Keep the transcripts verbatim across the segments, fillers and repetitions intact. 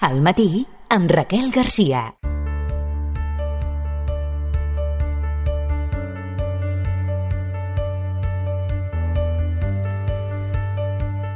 Al matí, amb Raquel Garcia.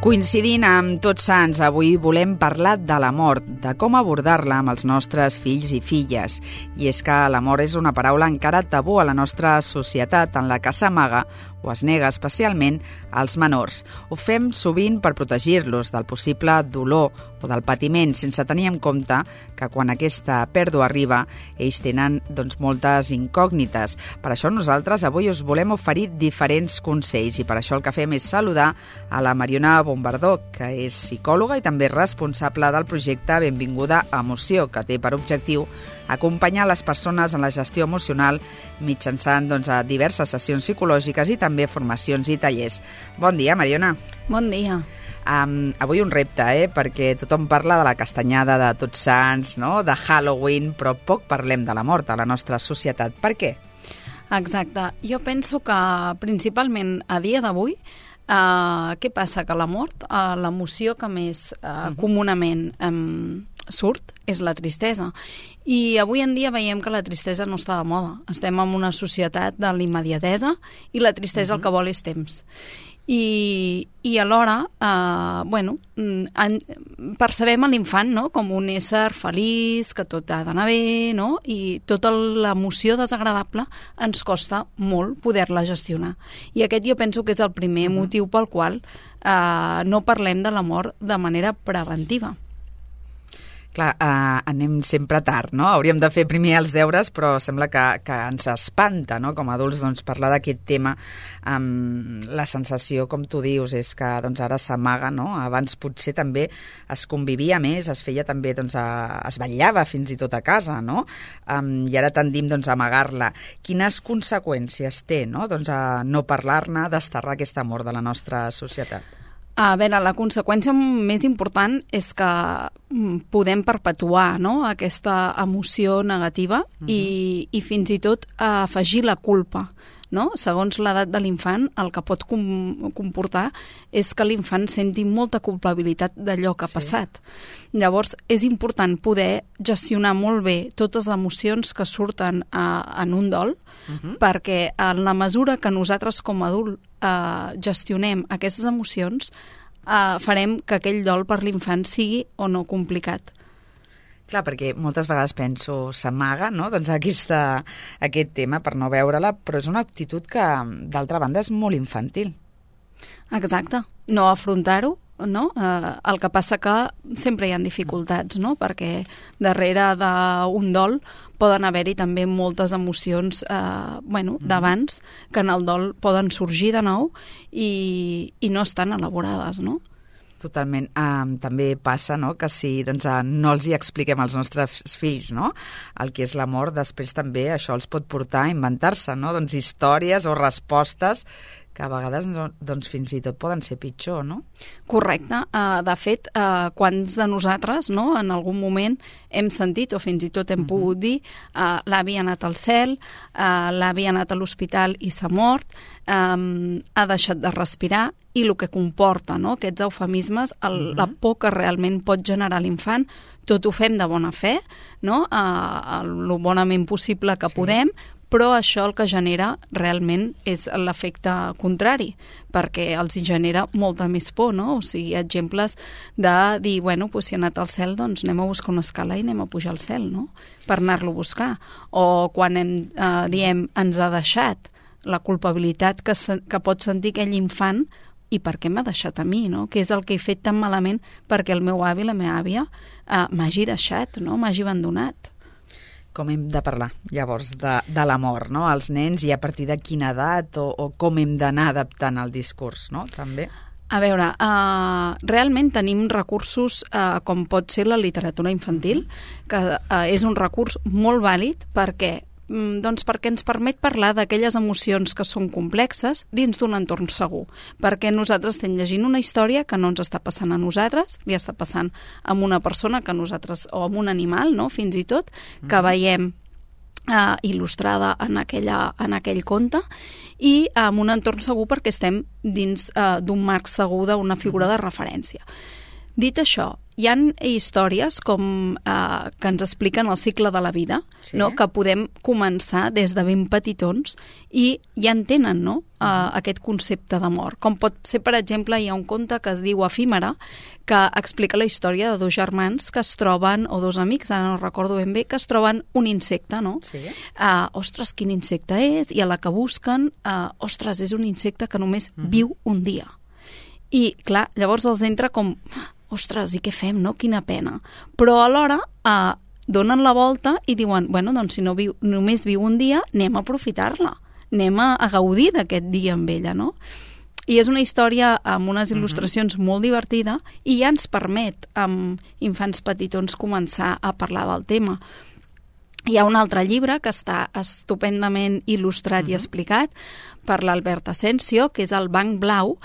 Coincidint amb Tots Sants, avui volem parlar de la mort, de com abordar-la amb els nostres fills i filles. I és que la mort és una paraula encara tabú a la nostra societat, en la que s'amaga o es nega especialment als menors. Ho fem sovint per protegir-los del possible dolor o del patiment, sense tenir en compte que quan aquesta pèrdua arriba, ells tenen doncs, moltes incògnites. Per això nosaltres avui us volem oferir diferents consells i per això el que fem és saludar a la Mariona Bombardó, que és psicòloga i també responsable del projecte Benvinguda a Emoció, que té per objectiu acompanyar les persones en la gestió emocional mitjançant doncs, a diverses sessions psicològiques i també formacions i tallers. Bon dia, Mariona. Bon dia. Um, avui un repte, eh? Perquè tothom parla de la castanyada de Tots Sants, no? De Halloween, però poc parlem de la mort a la nostra societat. Per què? Exacte. Jo penso que principalment a dia d'avui uh, què passa? Que la mort, uh, l'emoció que més uh, uh-huh. comunament um, surt és la tristesa. I avui en dia veiem que la tristesa no està de moda. Estem en una societat de l'immediatesa i la tristesa uh-huh. el que vol és temps. I, i alhora, eh, bueno, en, percebem a l'infant, no?, com un ésser feliç, que tot ha d'anar bé, no?, i tota l'emoció desagradable ens costa molt poder-la gestionar. I aquest jo penso que és el primer uh-huh. motiu pel qual eh, no parlem de la mort de manera preventiva. Clar, eh, anem sempre tard, no? Hauríem de fer primer els deures, però sembla que, que ens espanta, no?, com a adults, doncs, parlar d'aquest tema. Um, la sensació, com tu dius, és que doncs, ara s'amaga, no? Abans potser també es convivia més, es feia també, doncs, a, es vetllava fins i tot a casa, no? Um, I ara tendim, doncs, a amagar-la. Quines conseqüències té, no?, doncs, a no parlar-ne, desterrar aquesta amor de la nostra societat? A veure, la conseqüència més important és que podem perpetuar, no?, aquesta emoció negativa uh-huh. i, i fins i tot afegir la culpa. No? Segons l'edat de l'infant, el que pot com- comportar és que l'infant senti molta culpabilitat d'allò que ha sí. passat. Llavors, és important poder gestionar molt bé totes les emocions que surten a, en un dol, uh-huh. perquè en la mesura que nosaltres com a adult eh, gestionem aquestes emocions, eh, farem que aquell dol per l'infant sigui o no complicat. Clar, perquè moltes vegades penso, s'amaga, no?, doncs aquesta, aquest tema per no veure-la, però és una actitud que, d'altra banda, és molt infantil. Exacte. No afrontar-ho, no? Eh, el que passa que sempre hi ha dificultats, no?, perquè darrere d'un dol poden haver-hi també moltes emocions eh, bueno, d'abans que en el dol poden sorgir de nou i, i no estan elaborades, no? Totalment. Um, també passa, no?, que si doncs, uh, no els hi expliquem als nostres fills, no?, el que és la mort, després també això els pot portar a inventar-se, no?, doncs històries o respostes que a vegades doncs, fins i tot poden ser pitjor, no? Correcte. Uh, de fet, uh, quants de nosaltres, no?, en algun moment hem sentit o fins i tot hem uh-huh. pogut dir uh, l'avi ha anat al cel, uh, l'avi ha anat a l'hospital i s'ha mort, um, ha deixat de respirar, i el que comporta, no?, aquests eufemismes, el, uh-huh. la por que realment pot generar l'infant, tot ho fem de bona fe, no?, uh, el bonament possible que sí. podem, però això el que genera realment és l'efecte contrari, perquè els genera molta més por, no? O sigui, exemples de dir, bueno, doncs si ha anat al cel, doncs anem a buscar una escala i anem a pujar al cel, no?, per anar-lo a buscar. O quan hem, eh, diem, ens ha deixat, la culpabilitat que, se, que pot sentir aquell infant i per què m'ha deixat a mi, no? Què és el que he fet tan malament perquè el meu avi, la meva àvia, eh, m'hagi deixat, no?, m'hagi abandonat. Com hem de parlar, llavors, de, de la mort, no?, als nens, i a partir de quina edat o, o com hem d'anar adaptant el discurs, no?, també? A veure, uh, realment tenim recursos uh, com pot ser la literatura infantil, que uh, és un recurs molt vàlid perquè doncs perquè ens permet parlar d'aquelles emocions que són complexes dins d'un entorn segur, perquè nosaltres estem llegint una història que no ens està passant a nosaltres, li està passant a una persona que nosaltres, o a un animal, no?, fins i tot, que veiem eh, il·lustrada en, aquella, en aquell conte, i en un entorn segur perquè estem dins eh, d'un marc segur d'una figura de referència. Dit això, hi ha històries com eh, que ens expliquen el cicle de la vida, sí. no? Que podem començar des de ben petitons i ja entenen, no? Uh, uh-huh. aquest concepte de mort. Com pot ser, per exemple, hi ha un conte que es diu Efímera, que explica la història de dos germans que es troben, o dos amics, ara no recordo ben bé, que es troben un insecte, no? Sí. Uh, ostres, quin insecte és? I a la que busquen, uh, ostres, és un insecte que només uh-huh. viu un dia. I, clar, llavors els entra com... ostres, i què fem, no? Quina pena. Però alhora eh, donen la volta i diuen, bueno, doncs si no viu, només viu un dia, anem a aprofitar-la, anem a, a gaudir d'aquest dia amb ella, no? I és una història amb unes il·lustracions uh-huh. molt divertida i ja ens permet, amb infants petitons, començar a parlar del tema. Hi ha un altre llibre que està estupendament il·lustrat uh-huh. i explicat per l'Albert Asensio, que és El Banc Blau,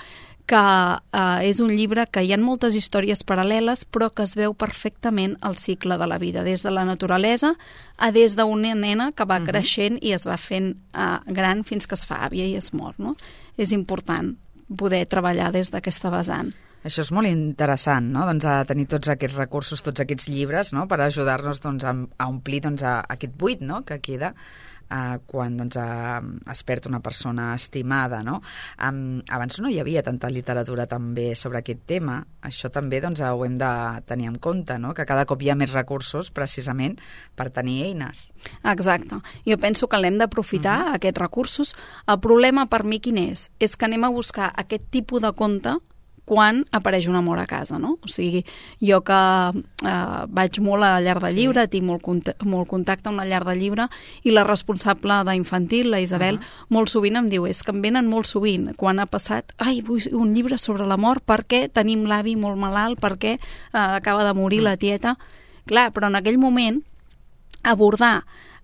que eh, és un llibre que hi ha moltes històries paral·leles però que es veu perfectament el cicle de la vida, des de la naturalesa a des d'una nena que va uh-huh. creixent i es va fent eh, gran fins que es fa àvia i es mor, no? És important poder treballar des d'aquesta vessant. Això és molt interessant, no? Doncs a tenir tots aquests recursos, tots aquests llibres, no? Per ajudar-nos doncs, a, a omplir doncs, a, a aquest buit, no? Que queda Uh, quan doncs, uh, es perd una persona estimada, no? Um, abans no hi havia tanta literatura també sobre aquest tema. Això també doncs, ho hem de tenir en compte, no? Que cada cop hi ha més recursos precisament per tenir eines. Exacte. Jo penso que l'hem d'aprofitar, uh-huh. aquests recursos. El problema per mi quin és? És que anem a buscar aquest tipus de conte quan apareix una mort a casa, no? O sigui, jo que eh, vaig molt a la llar de llibre, sí. tinc molt, cont- molt contacte amb la llar de llibre, i la responsable d'infantil, la Isabel, uh-huh. molt sovint em diu, és que em venen molt sovint, quan ha passat, ai, vull un llibre sobre la mort, perquè tenim l'avi molt malalt, perquè eh, acaba de morir uh-huh. la tieta. Clar, però en aquell moment, abordar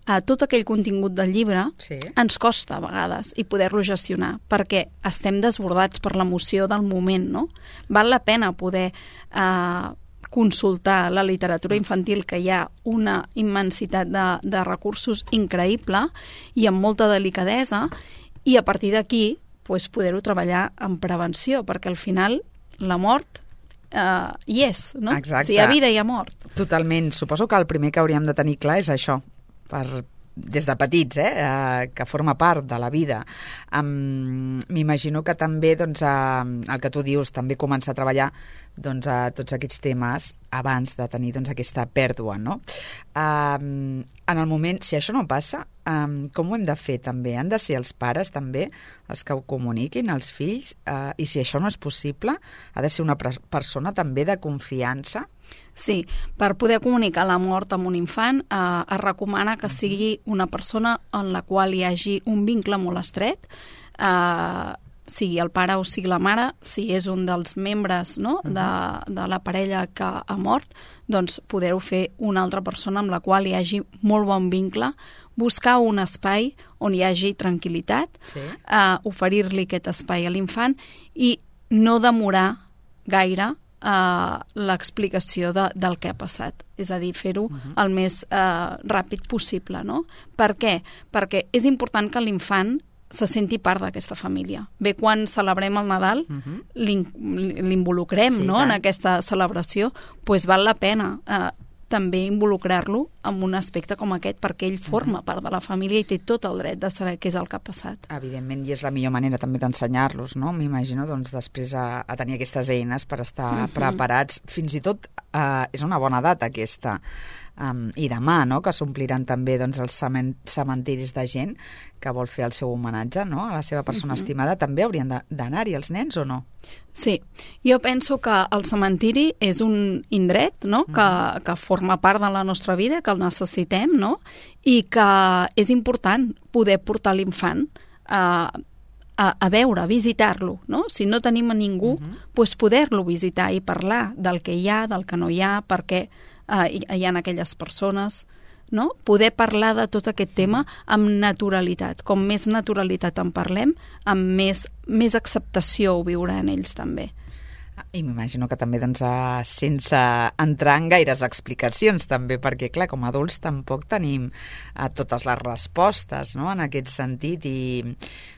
a tot aquell contingut del llibre sí. ens costa a vegades i poder-lo gestionar, perquè estem desbordats per l'emoció del moment, no? Val la pena poder eh, consultar la literatura infantil, que hi ha una immensitat de, de recursos increïble i amb molta delicadesa, i a partir d'aquí pues, poder-ho treballar en prevenció, perquè al final la mort Uh, hi és, no? Exacte. Si hi ha vida, hi ha mort. Totalment. Suposo que el primer que hauríem de tenir clar és això, per, des de petits, eh, uh, que forma part de la vida. Um, M'imagino que també, doncs, uh, el que tu dius, també començar a treballar doncs, a tots aquests temes abans de tenir doncs, aquesta pèrdua, no? Um, en el moment, si això no passa, um, com ho hem de fer també? Han de ser els pares també els que ho comuniquin als fills? Uh, I si això no és possible, ha de ser una pre- persona també de confiança? Sí, per poder comunicar la mort amb un infant eh, es recomana que sigui una persona en la qual hi hagi un vincle molt estret, eh, sigui el pare o sigui la mare, si és un dels membres, no, de, de la parella que ha mort, doncs poder-ho fer una altra persona amb la qual hi hagi molt bon vincle, buscar un espai on hi hagi tranquil·litat, sí. eh, oferir-li aquest espai a l'infant i no demorar gaire Uh, l'explicació de, del que ha passat. És a dir, fer-ho uh-huh. el més uh, ràpid possible, no? Per què? Perquè és important que l'infant se senti part d'aquesta família. Bé, quan celebrem el Nadal, uh-huh. l'involucrem sí, no? en aquesta celebració, doncs val la pena uh, també involucrar-lo en un aspecte com aquest, perquè ell forma part de la família i té tot el dret de saber què és el que ha passat. Evidentment, i és la millor manera també d'ensenyar-los, no? M'imagino, doncs, després a, a tenir aquestes eines per estar uh-huh. preparats. Fins i tot eh, és una bona data aquesta. Um, I demà, no?, que s'ompliran també doncs, els cementiris de gent que vol fer el seu homenatge, no?, a la seva persona uh-huh. estimada. També haurien d'anar-hi els nens o no? Sí, jo penso que el cementiri és un indret, no?, uh-huh. que, que forma part de la nostra vida, que el necessitem, no?, i que és important poder portar l'infant a, a, a veure, a visitar-lo, no? Si no tenim a ningú, uh-huh. doncs poder-lo visitar i parlar del que hi ha, del que no hi ha, perquè Uh, hi, hi ha aquelles persones, no? Poder parlar de tot aquest tema amb naturalitat. Com més naturalitat en parlem, amb més, més acceptació ho viuran ells també. I m'imagino que també doncs, sense entrar en gaires explicacions també, perquè clar, com a adults tampoc tenim eh, totes les respostes, no?, en aquest sentit, i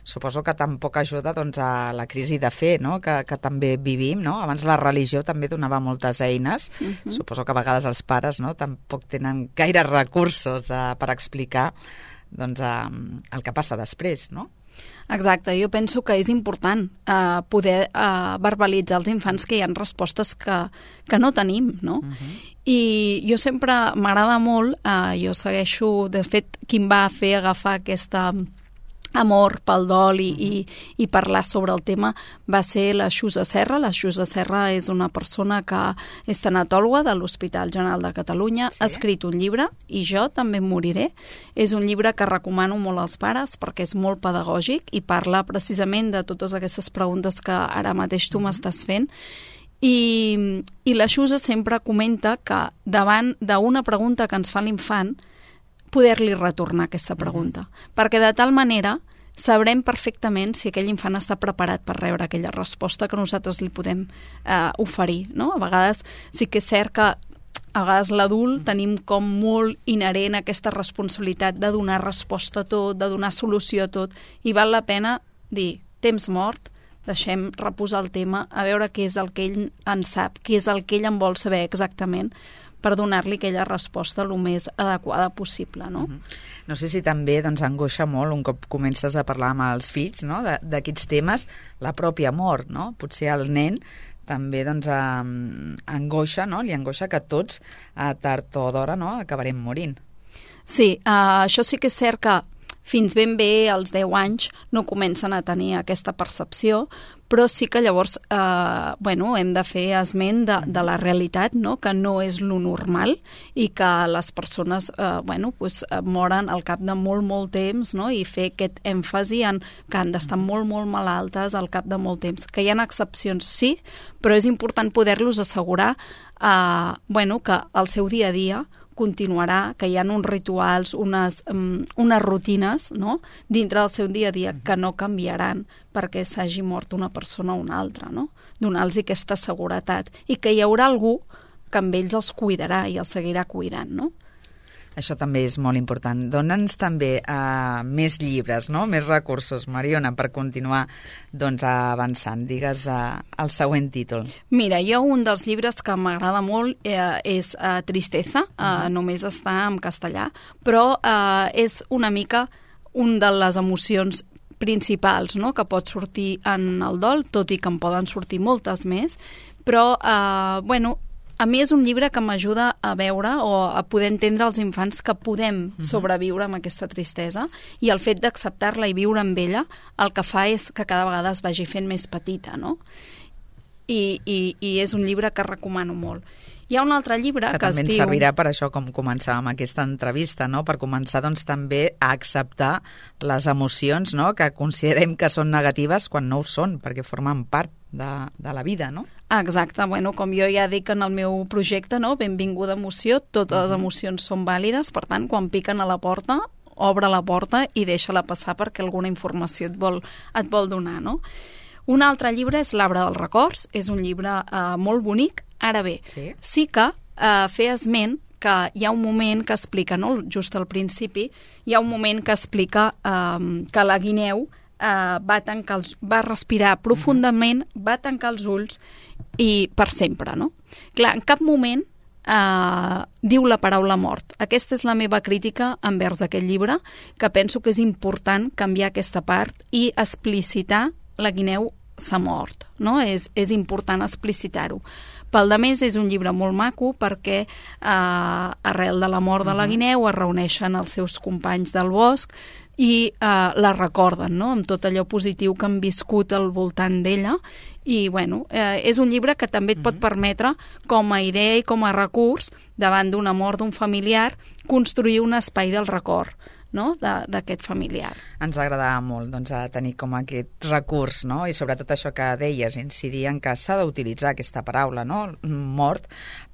suposo que tampoc ajuda doncs, a la crisi de fe, no?, que, que també vivim, no? Abans la religió també donava moltes eines, uh-huh. Suposo que a vegades els pares, no?, tampoc tenen gaires recursos eh, per explicar doncs, eh, el que passa després, no? Exacte, jo penso que és important eh, poder eh, verbalitzar als infants que hi ha respostes que, que no tenim, no? Uh-huh. I jo sempre m'agrada molt, eh, jo segueixo, de fet, qui em va fer agafar aquesta amor pel dol i, uh-huh. i, i parlar sobre el tema va ser la Xusa Serra. La Xusa Serra és una persona que és tanatòloga de l'Hospital General de Catalunya, sí? Ha escrit un llibre, I jo també moriré. És un llibre que recomano molt als pares perquè és molt pedagògic i parla precisament de totes aquestes preguntes que ara mateix tu uh-huh. m'estàs fent. I, i la Xusa sempre comenta que davant d'una pregunta que ens fa l'infant poder-li retornar aquesta pregunta. Uh-huh. Perquè de tal manera sabrem perfectament si aquell infant està preparat per rebre aquella resposta que nosaltres li podem eh, oferir, no? A vegades sí que és cert que a vegades l'adult tenim com molt inherent aquesta responsabilitat de donar resposta a tot, de donar solució a tot, i val la pena dir, temps mort, deixem reposar el tema, a veure què és el que ell en sap, què és el que ell en vol saber exactament, per donar-li aquella resposta el més adequada possible, no? Uh-huh. No sé si també doncs, angoixa molt un cop comences a parlar amb els fills, no?, d'aquests temes, la pròpia mort, no? Potser el nen també doncs, eh, angoixa, no?, li angoixa que tots, a tard o d'hora, no?, acabarem morint. Sí, uh, això sí que és cert que fins ben bé als deu anys no comencen a tenir aquesta percepció, però sí que llavors eh, bueno, hem de fer esment de, de la realitat, no?, que no és lo normal i que les persones eh, bueno, pues, moren al cap de molt, molt temps, no?, i fer aquest èmfasi en que han d'estar molt, molt malaltes al cap de molt temps. Que hi ha excepcions, sí, però és important poder-los assegurar eh, bueno, que el seu dia a dia continuarà, que hi ha uns rituals, unes, um, unes rutines, no?, dintre del seu dia a dia que no canviaran perquè s'hagi mort una persona o una altra, no? Donar-los aquesta seguretat i que hi haurà algú que amb ells els cuidarà i els seguirà cuidant, no? Això també és molt important. Dóna'ns també uh, més llibres, no?, més recursos, Mariona, per continuar doncs, avançant. Digues uh, el següent títol. Mira, jo un dels llibres que m'agrada molt eh, és uh, Tristeza, uh, uh-huh. només està en castellà, però uh, és una mica un de les emocions principals, no?, que pot sortir en el dol, tot i que en poden sortir moltes més, però, uh, bueno, a mi és un llibre que m'ajuda a veure o a poder entendre als infants que podem sobreviure amb aquesta tristesa, i el fet d'acceptar-la i viure amb ella el que fa és que cada vegada es vagi fent més petita, no? I, i, i és un llibre que recomano molt. Hi ha un altre llibre que, que es diu... també ens servirà per això, com començàvem aquesta entrevista, no?, per començar doncs, també a acceptar les emocions, no?, que considerem que són negatives quan no ho són, perquè formen part de, de la vida, no? Exacte, bueno, com jo ja dic en el meu projecte, no?, benvinguda emoció, totes uh-huh. les emocions són vàlides, per tant, quan piquen a la porta, obre la porta i deixa-la passar perquè alguna informació et vol, et vol donar, no? Un altre llibre és L'arbre dels records, és un llibre eh, molt bonic. Ara bé, sí, sí que eh, fer esment que hi ha un moment que explica, no?, just al principi, hi ha un moment que explica eh, que la guineu eh, va, tancar els, va respirar profundament, uh-huh. va tancar els ulls i per sempre, no? Clar, en cap moment eh, diu la paraula mort. Aquesta és la meva crítica envers aquest llibre, que penso que és important canviar aquesta part i explicitar la guineu s'ha mort, no? És, és important explicitar-ho. Pel de més, és un llibre molt maco perquè eh, arrel de la mort de la guineu es reuneixen els seus companys del bosc i eh, la recorden, no?, amb tot allò positiu que han viscut al voltant d'ella. I, bueno, eh, és un llibre que també et pot permetre, com a idea i com a recurs, davant d'una mort d'un familiar, construir un espai del record, no?, d'aquest familiar. Ens agradava molt doncs, tenir com aquest recurs, no?, i sobretot això que deies, incidir en que s'ha d'utilitzar aquesta paraula, no?, mort,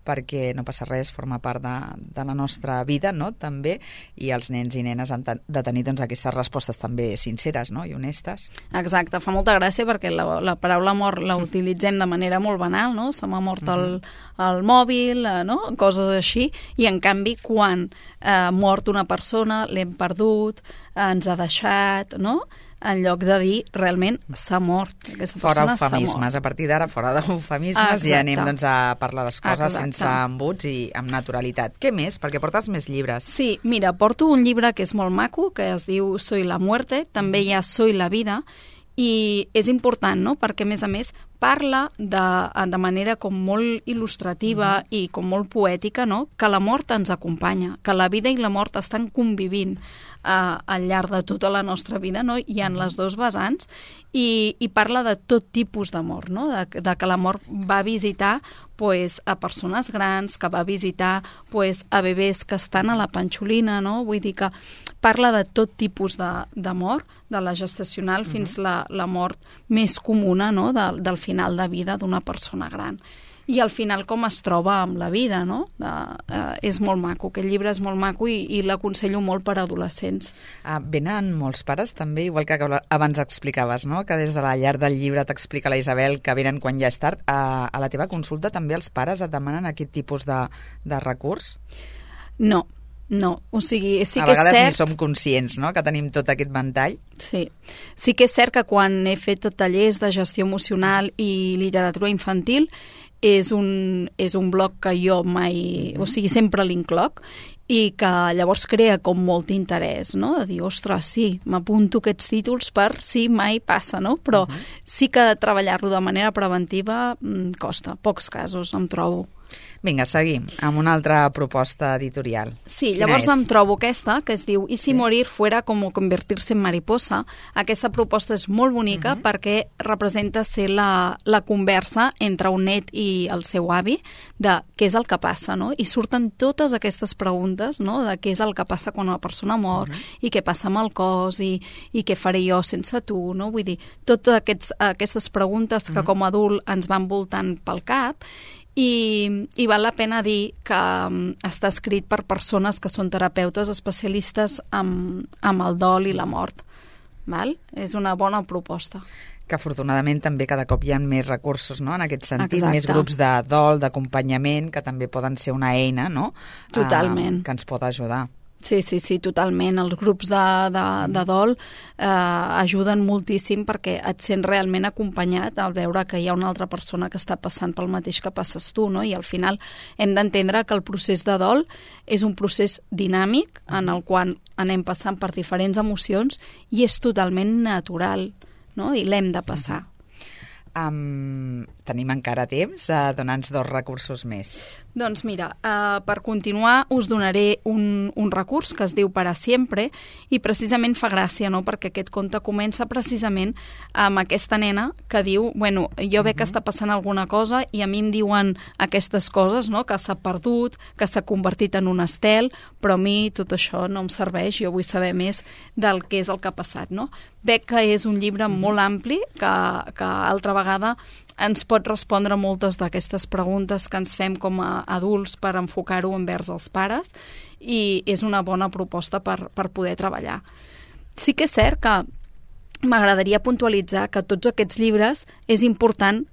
perquè no passa res, forma part de, de la nostra vida, no?, també, i els nens i nenes han de tenir doncs, aquestes respostes també sinceres, no?, i honestes. Exacte, fa molta gràcia perquè la, la paraula mort la utilitzem de manera molt banal, no?, se m'ha mort el, el mòbil, eh, no?, coses així, i en canvi quan eh, mort una persona, l'hem perdut, eh, ens ha deixat, no?, en lloc de dir realment s'ha mort. Aquesta fora persona eufemismes, a partir d'ara fora d'eufemismes i anem doncs, a parlar les coses Exacte. sense embuts i amb naturalitat. Què més? Perquè portes més llibres. Sí, mira, porto un llibre que és molt maco, que es diu Soy la muerte, també hi ha Soy la vida, i és important, no?, perquè a més a més parla de, de manera com molt il·lustrativa mm. i com molt poètica, no?, que la mort ens acompanya, que la vida i la mort estan convivint eh, al llarg de tota la nostra vida, no?, i en mm. les dos vessants, i, i parla de tot tipus de mort, no?, de, de que la mort va visitar pues, a persones grans, que va visitar pues, a bebès que estan a la panxolina, no?, vull dir que parla de tot tipus de, de mort, de la gestacional mm. fins la, la mort més comuna, no?, de, del final de vida d'una persona gran. I al final com es troba amb la vida, no? De, eh, és molt maco, aquest llibre és molt maco i, i l'aconsello molt per a adolescents. Ah, venen molts pares també, igual que abans explicaves, no?, que des de la llar del llibre t'explica la Isabel que venen quan ja és tard. A, a la teva consulta també els pares et demanen aquest tipus de, de recurs? No. No, o sigui, sí a que és cert... A vegades ni som conscients, no?, que tenim tot aquest ventall. Sí. Sí que és cert que quan he fet tallers de gestió emocional i literatura infantil és un, és un bloc que jo mai... Mm-hmm. O sigui, sempre l'incloc i que llavors crea com molt interès, no?, de dir, ostres, sí, m'apunto aquests títols per si mai passa, no? Però mm-hmm. sí que treballar-lo de manera preventiva mm, costa, pocs casos em trobo. Vinga, seguim amb una altra proposta editorial. Sí, llavors em trobo aquesta, que es diu «Y si sí. morir fuera como convertirse en mariposa». Aquesta proposta és molt bonica uh-huh. perquè representa ser la, la conversa entre un net i el seu avi de què és el que passa, no? I surten totes aquestes preguntes, no?, de què és el que passa quan una persona mor uh-huh. i què passa amb el cos i, i què faré jo sense tu, no? Vull dir, totes aquests, aquestes preguntes que uh-huh. com a adult ens van voltant pel cap. I, i val la pena dir que um, està escrit per persones que són terapeutes especialistes amb, amb el dol i la mort. Val? És una bona proposta. Que afortunadament també cada cop hi ha més recursos, no?, en aquest sentit, Exacte. més grups de dol, d'acompanyament, que també poden ser una eina, no?, Totalment. Uh, que ens pot ajudar. Sí, sí, sí, totalment. Els grups de, de, de dol eh, ajuden moltíssim perquè et sents realment acompanyat al veure que hi ha una altra persona que està passant pel mateix que passes tu, no? I al final hem d'entendre que el procés de dol és un procés dinàmic en el qual anem passant per diferents emocions i és totalment natural, no? I l'hem de passar. Um, tenim encara temps a donar-nos dos recursos més. Doncs mira, uh, per continuar us donaré un, un recurs que es diu Para Siempre i precisament fa gràcia, no?, perquè aquest conte comença precisament amb aquesta nena que diu, bueno, jo veig uh-huh. que està passant alguna cosa i a mi em diuen aquestes coses, no?, que s'ha perdut, que s'ha convertit en un estel, però a mi tot això no em serveix, jo vull saber més del que és el que ha passat, no? Veig que és un llibre uh-huh. molt ampli, que, que altra vegada ens pot respondre moltes d'aquestes preguntes que ens fem com a adults per enfocar-ho envers els pares i és una bona proposta per, per poder treballar. Sí que és cert que m'agradaria puntualitzar que tots aquests llibres és important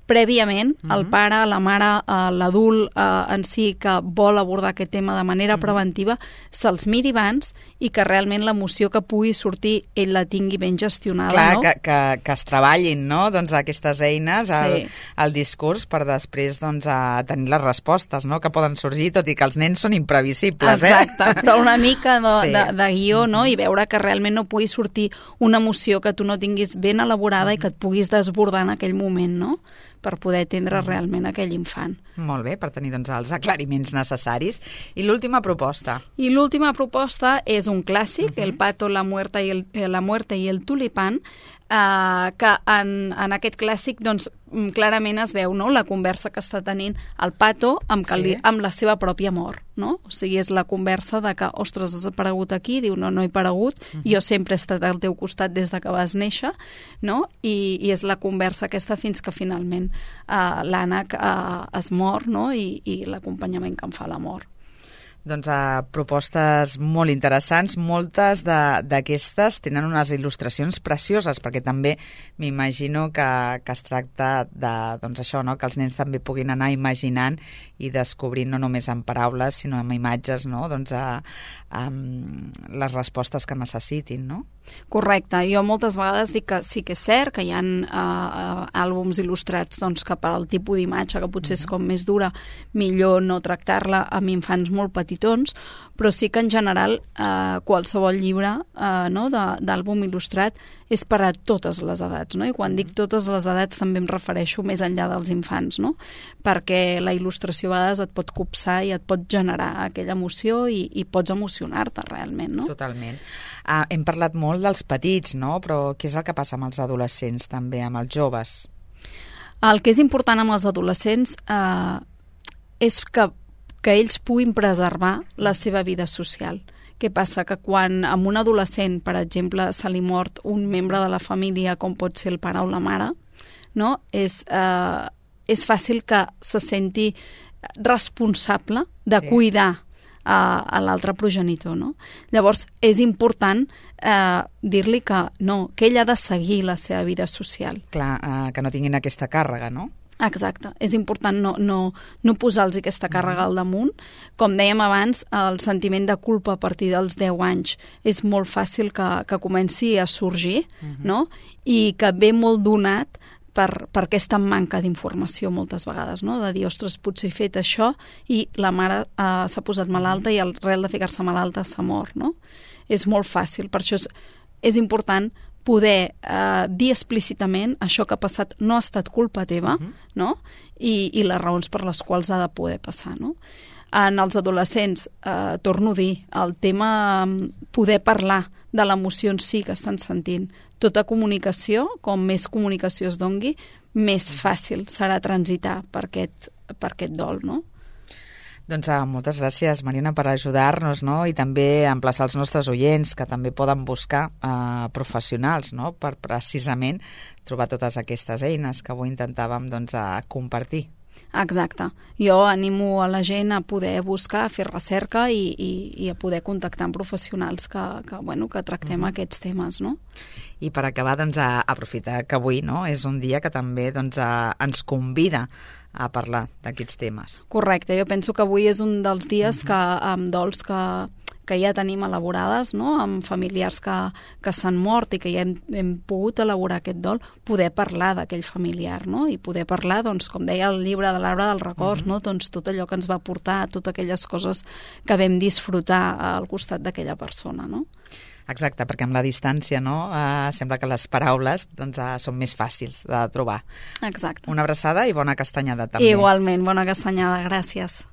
prèviament uh-huh. el pare, la mare, l'adult eh, en si que vol abordar aquest tema de manera uh-huh. preventiva, se'ls miri abans i que realment l'emoció que pugui sortir ell la tingui ben gestionada. Clar, no? que, que, que es treballin, no?, doncs aquestes eines, el, sí. el discurs, per després doncs, a tenir les respostes, no?, que poden sorgir, tot i que els nens són imprevisibles. Exacte, eh? però una mica de, sí. de, de guió, no?, i veure que realment no pugui sortir una emoció que tu no tinguis ben elaborada i que et puguis desbordar en aquell moment, no?, per poder atendre realment aquell infant. Molt bé, per tenir doncs, els aclariments necessaris. I l'última proposta? I l'última proposta és un clàssic, uh-huh. El pato, la muerta i el, la muerte i el tulipán, eh, que en, en aquest clàssic doncs, clarament es veu, no?, la conversa que està tenint el pato amb, que li, amb la seva pròpia mort, no? O sigui, és la conversa de que, ostres, has aparegut aquí, diu, no, no he aparegut, uh-huh. jo sempre he estat al teu costat des de que vas néixer, no? I, i és la conversa aquesta fins que finalment eh, l'ànec eh, es mor mort, no? I, i l'acompanyament que em fa la mort. Doncs uh, propostes molt interessants, moltes d'aquestes tenen unes il·lustracions precioses, perquè també m'imagino que, que es tracta de, doncs això, no? Que els nens també puguin anar imaginant i descobrint no només amb paraules, sinó amb imatges, no? Doncs a, a, les respostes que necessitin, no? Correcte. Jo moltes vegades dic que sí que és cert que hi ha uh, àlbums il·lustrats doncs, que per al tipus d'imatge, que potser és com més dura, millor no tractar-la amb infants molt petitons, però sí que en general eh, qualsevol llibre eh, no, d'àlbum il·lustrat és per a totes les edats, no? I quan dic totes les edats també em refereixo més enllà dels infants, no? Perquè la il·lustració a vegades et pot copsar i et pot generar aquella emoció i, i pots emocionar-te realment, no? Totalment. Uh, hem parlat molt dels petits, no? Però què és el que passa amb els adolescents també, amb els joves? El que és important amb els adolescents eh, és que que ells puguin preservar la seva vida social. Què passa? Que quan a un adolescent, per exemple, se li mort un membre de la família, com pot ser el pare o la mare, no? és, eh, és fàcil que se senti responsable de sí. cuidar a, a l'altre progenitor. No? Llavors, és important eh, dir-li que no, que ell ha de seguir la seva vida social. Clar, eh, que no tinguin aquesta càrrega, no? Exacte. És important no, no, no posar-los aquesta càrrega al damunt. Com dèiem abans, el sentiment de culpa a partir dels deu anys és molt fàcil que, que comenci a sorgir, uh-huh. no? I que ve molt donat per, per aquesta manca d'informació moltes vegades, no? De dir, ostres, potser he fet això i la mare eh, s'ha posat malalta i al rel de ficar-se malalta s'ha mort, no? És molt fàcil. Per això és, és important poder eh, dir explícitament això que ha passat no ha estat culpa teva, uh-huh. no? I, i les raons per les quals ha de poder passar, no? En els adolescents, eh, torno a dir, el tema poder parlar de l'emoció en si que estan sentint. Tota comunicació, com més comunicació es dongui, més fàcil serà transitar per aquest, per aquest dol, no? Doncs uh, moltes gràcies, Mariona, per ajudar-nos, no? I també emplaçar els nostres oients que també poden buscar uh, professionals, no? Per precisament trobar totes aquestes eines que avui intentàvem doncs, uh, compartir. Exacte. Jo animo a la gent a poder buscar, a fer recerca i, i, i a poder contactar amb professionals que, que, bueno, que tractem uh-huh. aquests temes, no? I per acabar, doncs, a aprofitar que avui no, és un dia que també doncs, a, ens convida a parlar d'aquests temes. Correcte. Jo penso que avui és un dels dies uh-huh. que, amb dols que, que ja tenim elaborades, no? Amb familiars que, que s'han mort i que ja hem, hem pogut elaborar aquest dol, poder parlar d'aquell familiar, no? I poder parlar, doncs, com deia el llibre de l'Arbre dels Records, uh-huh. no? Doncs tot allò que ens va portar, totes aquelles coses que vam disfrutar al costat d'aquella persona, no? Exacte, perquè amb la distància, no? Uh, sembla que les paraules doncs, uh, són més fàcils de trobar. Exacte. Una abraçada i bona castanyada també. Igualment, bona castanyada, gràcies.